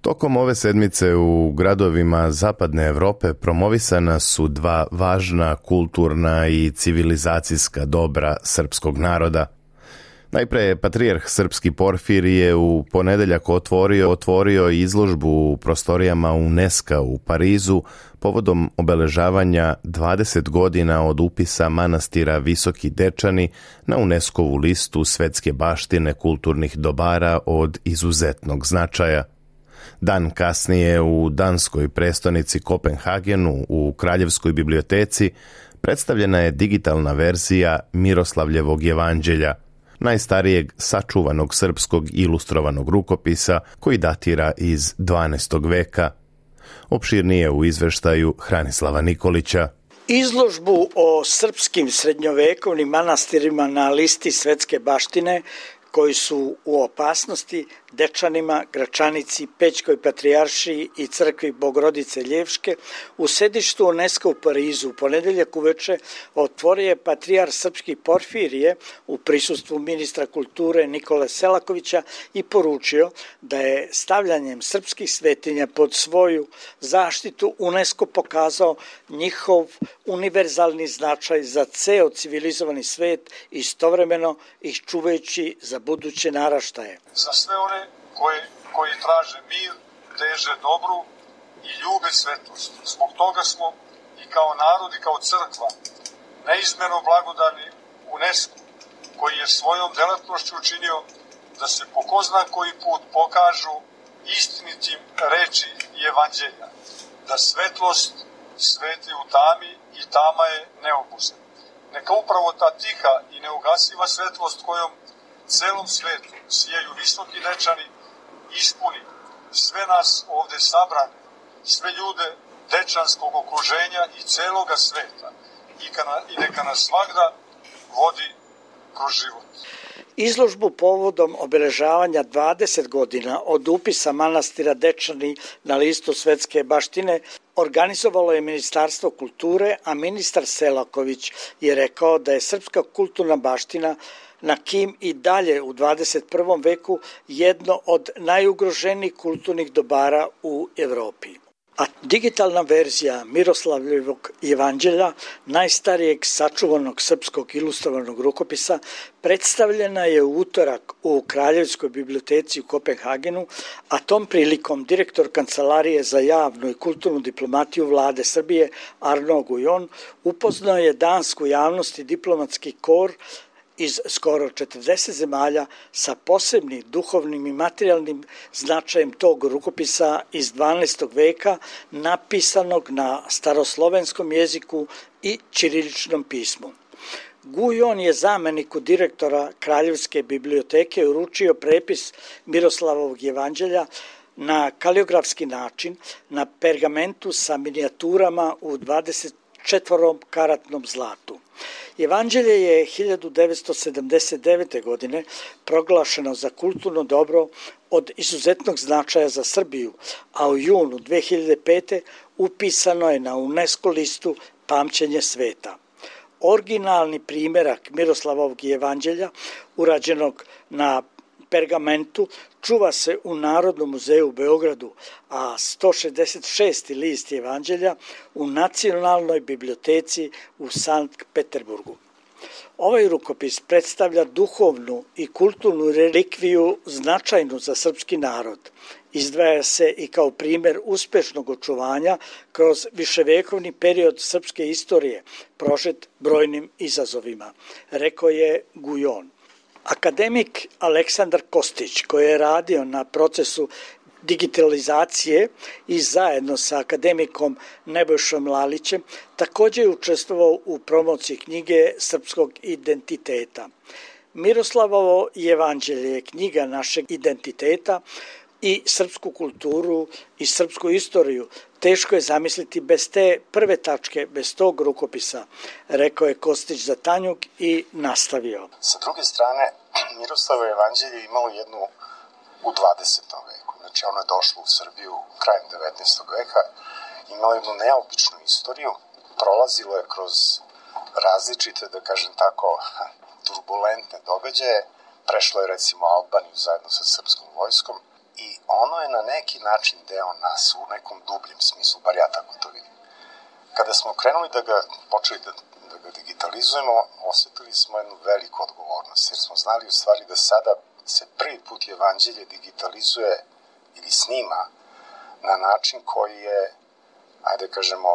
Tokom ove sedmice u gradovima Zapadne Evrope promovisana su dva važna kulturna i civilizacijska dobra srpskog naroda. Najpre je patrijarh srpski Porfirije u ponedeljak otvorio, otvorio izložbu u prostorijama UNESCO u Parizu povodom obeležavanja dvadeset godina od upisa manastira Visoki Dečani na UNESCO-vu listu svetske baštine kulturnih dobara od izuzetnog značaja. Dan kasnije u danskoj prestonici Kopenhagenu u Kraljevskoj biblioteci predstavljena je digitalna verzija Miroslavljevog jevanđelja, najstarijeg sačuvanog srpskog ilustrovanog rukopisa koji datira iz dvanaestog veka. Opširnije u izveštaju Hranislava Nikolića. Izložbu o srpskim srednjovekovnim manastirima na listi svetske baštine koji su u opasnosti Dečanima, Gračanici, Pećkoj patrijaršiji i crkvi Bogorodice Ljevške u sedištu UNESCO u Parizu u ponedeljak uveče otvorio je patrijarh srpski Porfirije u prisustvu ministra kulture Nikole Selakovića i poručio da je stavljanjem srpskih svetinja pod svoju zaštitu UNESCO pokazao njihov univerzalni značaj za ceo civilizovani svet, istovremeno ih čuvajući za buduće naraštaje. Za sve one koji, koji traže mir, teže dobru i ljube svetlost. Zbog toga smo i kao narod i kao crkva neizmerno blagodani UNESCO, koji je svojom delatnošću učinio da se po ko zna koji put pokažu istinitim reči i evanđelja, da svetlost sveti u tami i tama je neobuzna. Neka upravo ta tiha i neugasiva svetlost kojom celom svetu sijaju visoki dečani ispuni sve nas ovde sabrane, sve ljude dečanskog okruženja i celoga sveta i, kana, i neka nas svagda vodi kroz život. Izložbu povodom obeležavanja dvadeset godina od upisa manastira Dečani na listu svetske baštine organizovalo je Ministarstvo kulture, a ministar Selaković je rekao da je srpska kulturna baština na kim i dalje u dvadeset prvom veku jedno od najugroženijih kulturnih dobara u Evropi. a digitalna verzija Miroslavljevog jevanđelja, najstarijeg sačuvanog srpskog ilustrovanog rukopisa, predstavljena je u utorak u Kraljevskoj biblioteci u Kopenhagenu, a tom prilikom direktor Kancelarije za javnu i kulturnu diplomatiju Vlade Srbije Arno Gujon upoznao je dansku javnost i diplomatski kor iz skoro četrdeset zemalja sa posebnim duhovnim i materijalnim značajem tog rukopisa iz dvanaestog veka, napisanog na staroslovenskom jeziku i ćiriličnom pismu. Gujon je zameniku direktora Kraljevske biblioteke uručio prepis Miroslavovog jevanđelja na kaligrafski način na pergamentu sa minijaturama u dvadeset četvorokaratnom zlatu. Evanđelje je hiljadu devetsto sedamdeset devete. godine proglašeno za kulturno dobro od izuzetnog značaja za Srbiju, a u junu dve hiljade pete. upisano je na UNESCO listu Pamćenje sveta. Originalni primerak Miroslavovog jevanđelja, urađenog na pergamentu, čuva se u Narodnom muzeju u Beogradu, a sto šezdeset šesti list Evanđelja u Nacionalnoj biblioteci u Sankt Peterburgu. Ovaj rukopis predstavlja duhovnu i kulturnu relikviju značajnu za srpski narod. Izdvaja se i kao primer uspešnog očuvanja kroz viševekovni period srpske istorije, prožet brojnim izazovima, rekao je Gujon. Akademik Aleksandar Kostić, koji je radio na procesu digitalizacije i zajedno sa akademikom Nebojšom Lalićem, također je učestvovao u promociji knjige Srpskog identiteta. Miroslavovo jevanđelje je knjiga našeg identiteta i srpsku kulturu i srpsku istoriju. Teško je zamisliti bez te prve tačke, bez tog rukopisa, rekao je Kostić za Tanjug i nastavio. Sa druge strane, Miroslavovo jevanđelje imalo jednu u dvadesetom veku. Znači ono je došlo u Srbiju krajem devetnaestog veka, imalo jednu neobičnu istoriju, prolazilo je kroz različite, da kažem tako, turbulentne događaje, prešlo je recimo Albaniju zajedno sa srpskom vojskom i ono je na neki način deo nas u nekom dubljem smislu, bar ja tako to vidim. Kada smo krenuli da ga počeli da, da ga digitalizujemo, osetili smo jednu veliku odgovornost, jer smo znali u stvari da sada se prvi put evanđelje digitalizuje ili snima na način koji je, ajde kažemo,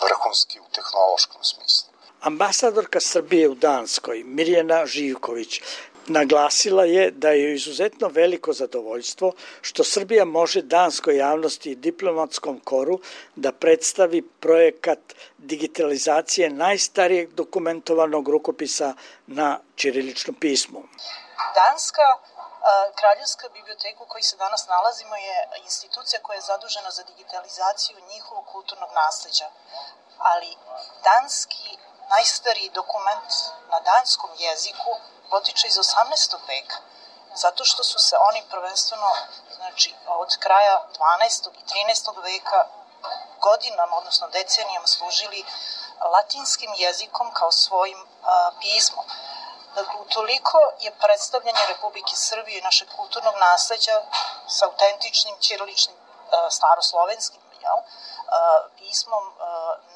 vrhunski u tehnološkom smislu. Ambasadorka Srbije u Danskoj, Mirjana Živković, naglasila je da je izuzetno veliko zadovoljstvo što Srbija može danskoj javnosti i diplomatskom koru da predstavi projekat digitalizacije najstarijeg dokumentovanog rukopisa na ćiriličnom pismu. Danska Kraljevska biblioteka u kojoj se danas nalazimo je institucija koja je zadužena za digitalizaciju njihovog kulturnog nasleđa, ali danski najstariji dokument na danskom jeziku potiče iz osamnaestog veka, zato što su se oni prvenstveno, znači od kraja dvanaestog i trinaestog veka godinama, odnosno decenijama služili latinskim jezikom kao svojim a, pismom. Dakle, utoliko je predstavljanje Republike Srbije i našeg kulturnog nasleđa sa autentičnim ćiriličnim staroslovenskim jel, pismom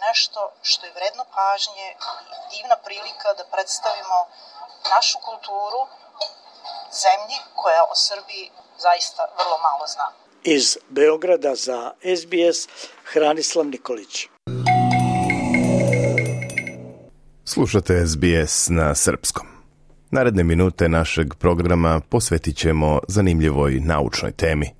nešto što je vredno pažnje i divna prilika da predstavimo našu kulturu zemlji koja o Srbiji zaista vrlo malo zna. Iz Beograda za S B S Hranislav Nikolić. Slušate S B S na srpskom. Naredne minute našeg programa posvetit ćemo zanimljivoj naučnoj temi.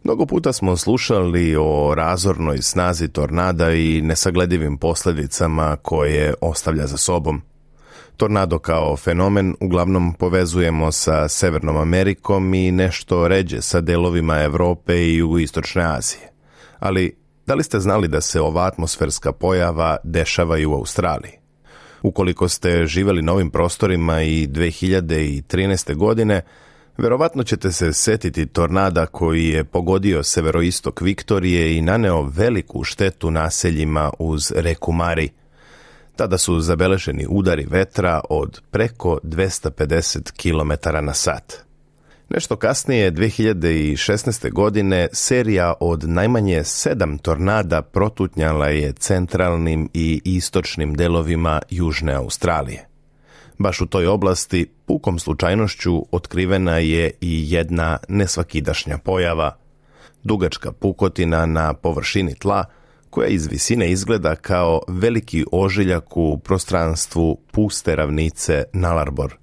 Mnogo puta smo slušali o razornoj snazi tornada i nesagledivim posljedicama koje ostavlja za sobom. Tornado kao fenomen uglavnom povezujemo sa Severnom Amerikom i nešto ređe sa delovima Evrope i jugoistočne Azije. Ali da li ste znali da se ova atmosferska pojava dešava i u Australiji? Ukoliko ste živjeli na ovim prostorima i dve hiljade trinaeste. godine, verovatno ćete se setiti tornada koji je pogodio severoistok Viktorije i naneo veliku štetu naseljima uz reku Mari. Tada su zabeleženi udari vetra od preko dvesta pedeset kilometara na sat. Nešto kasnije, dve hiljade šesnaeste. godine, serija od najmanje sedam tornada protutnjala je centralnim i istočnim delovima Južne Australije. Baš u toj oblasti, pukom slučajnošću, otkrivena je i jedna nesvakidašnja pojava. Dugačka pukotina na površini tla, koja iz visine izgleda kao veliki ožiljak u prostranstvu puste ravnice Nullarbor.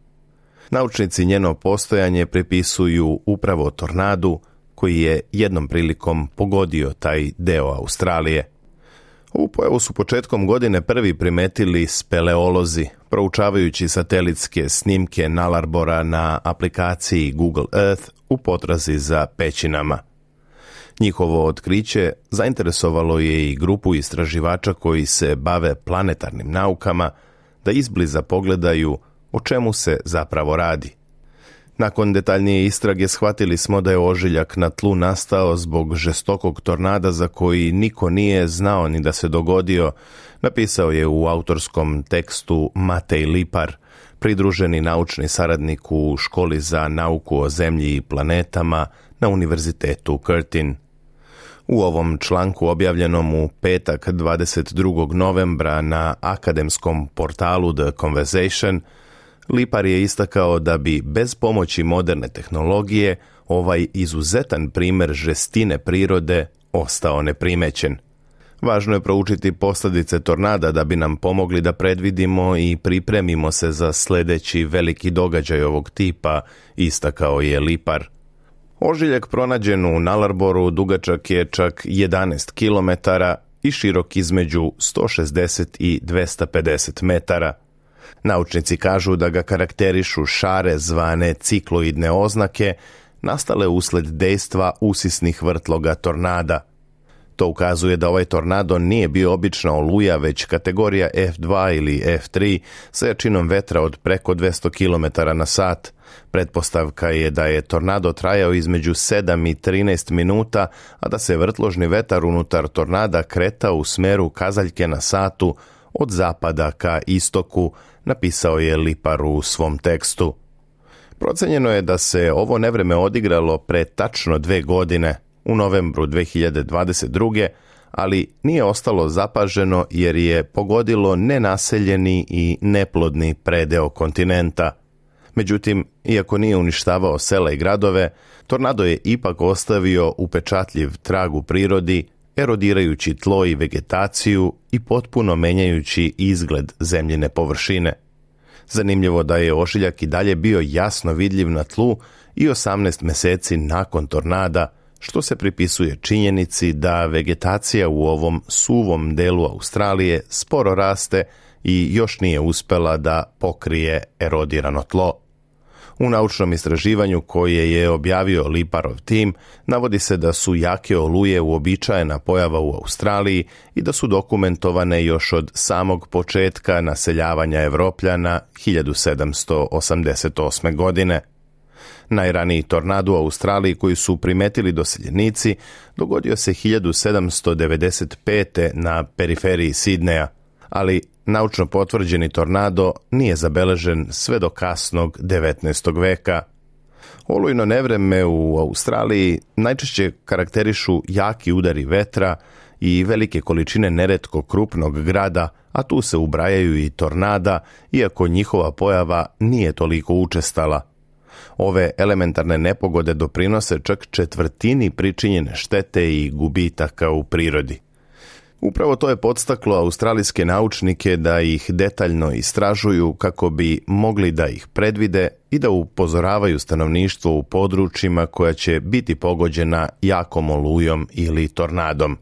Naučnici njeno postojanje pripisuju upravo tornadu koji je jednom prilikom pogodio taj deo Australije. Ovu pojavu su početkom godine prvi primetili speleolozi, proučavajući satelitske snimke Nullarbora na aplikaciji Google Earth u potrazi za pećinama. Njihovo otkriće zainteresovalo je i grupu istraživača koji se bave planetarnim naukama da izbliza pogledaju o čemu se zapravo radi. Nakon detaljnije istrage shvatili smo da je ožiljak na tlu nastao zbog žestokog tornada za koji niko nije znao ni da se dogodio, napisao je u autorskom tekstu Matej Lipar, pridruženi naučni saradnik u školi za nauku o zemlji i planetama na Univerzitetu Curtin. U ovom članku objavljenom u petak dvadeset drugog novembra na akademskom portalu The Conversation, Lipar je istakao da bi bez pomoći moderne tehnologije ovaj izuzetan primjer žestine prirode ostao neprimećen. Važno je proučiti posljedice tornada da bi nam pomogli da predvidimo i pripremimo se za sljedeći veliki događaj ovog tipa, istakao je Lipar. Ožiljak pronađen u Nullarboru dugačak je čak jedanaest kilometara i širok između sto šezdeset i dvesta pedeset metara. Naučnici kažu da ga karakterišu šare zvane cikloidne oznake, nastale usled dejstva usisnih vrtloga tornada. To ukazuje da ovaj tornado nije bio obična oluja, već kategorija F dva ili F tri sa jačinom vetra od preko dvesta kilometara na sat. Pretpostavka je da je tornado trajao između sedam i trinaest minuta, a da se vrtložni vetar unutar tornada kretao u smeru kazaljke na satu od zapada ka istoku, napisao je Lipar u svom tekstu. Procenjeno je da se ovo nevreme odigralo pre tačno dve godine, u novembru dve hiljade dvadeset druge. ali nije ostalo zapaženo jer je pogodilo nenaseljeni i neplodni predeo kontinenta. Međutim, iako nije uništavao sela i gradove, tornado je ipak ostavio upečatljiv trag u prirodi, erodirajući tlo i vegetaciju i potpuno menjajući izgled zemljine površine. Zanimljivo da je ožiljak i dalje bio jasno vidljiv na tlu i osamnaest meseci nakon tornada, što se pripisuje činjenici da vegetacija u ovom suvom delu Australije sporo raste i još nije uspela da pokrije erodirano tlo. U naučnom istraživanju koje je objavio Liparov tim, navodi se da su jake oluje uobičajena pojava u Australiji i da su dokumentovane još od samog početka naseljavanja Evropljana hiljadu sedamsto osamdeset osme. godine. Najraniji tornado u Australiji koji su primetili doseljenici dogodio se hiljadu sedamsto devedeset pete. na periferiji Sidneja, ali naučno potvrđeni tornado nije zabeležen sve do kasnog devetnaestog. veka. Olujno nevreme u Australiji najčešće karakterišu jaki udari vetra i velike količine neretko krupnog grada, a tu se ubrajaju i tornada, iako njihova pojava nije toliko učestala. Ove elementarne nepogode doprinose čak četvrtini pričinjene štete i gubitaka u prirodi. Upravo to je podstaklo australijske naučnike da ih detaljno istražuju kako bi mogli da ih predvide i da upozoravaju stanovništvo u područjima koja će biti pogođena jakom olujom ili tornadom.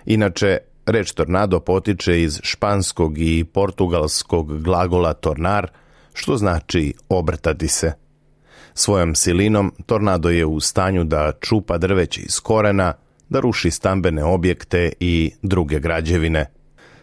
Inače, reč tornado potiče iz španskog i portugalskog glagola tornar, što znači obrtati se. Svojom silinom tornado je u stanju da čupa drveće iz korena, da ruši stambene objekte i druge građevine.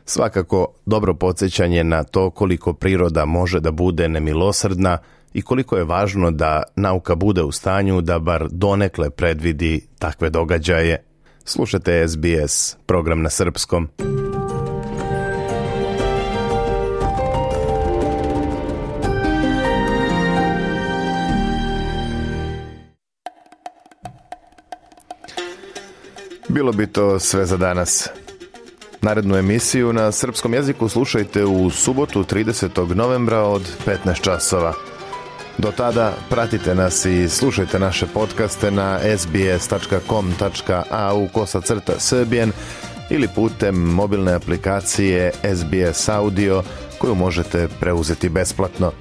Svakako dobro podsjećanje na to koliko priroda može da bude nemilosrdna i koliko je važno da nauka bude u stanju da bar donekle predvidi takve događaje. Slušajte S B S, program na srpskom. Bilo bi to sve za danas. Narednu emisiju na srpskom jeziku slušajte u subotu tridesetog novembra od petnaest časova. Do tada pratite nas i slušajte naše podcaste na sbs tačka com tačka a u kosacrta srbijen ili putem mobilne aplikacije S B S Audio koju možete preuzeti besplatno.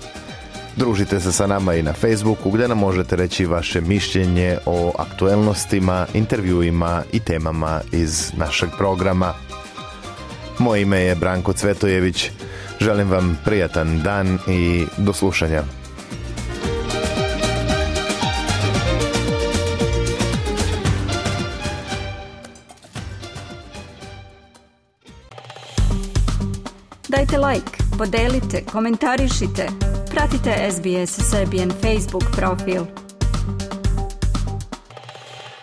Družite se sa nama i na Facebooku gdje nam možete reći vaše mišljenje o aktuelnostima, intervjuima i temama iz našeg programa. Moje ime je Branko Cvetojević. Želim vam prijatan dan i do slušanja. Dajte like, podelite, komentarišite. Pratite S B S Serbian Facebook profil.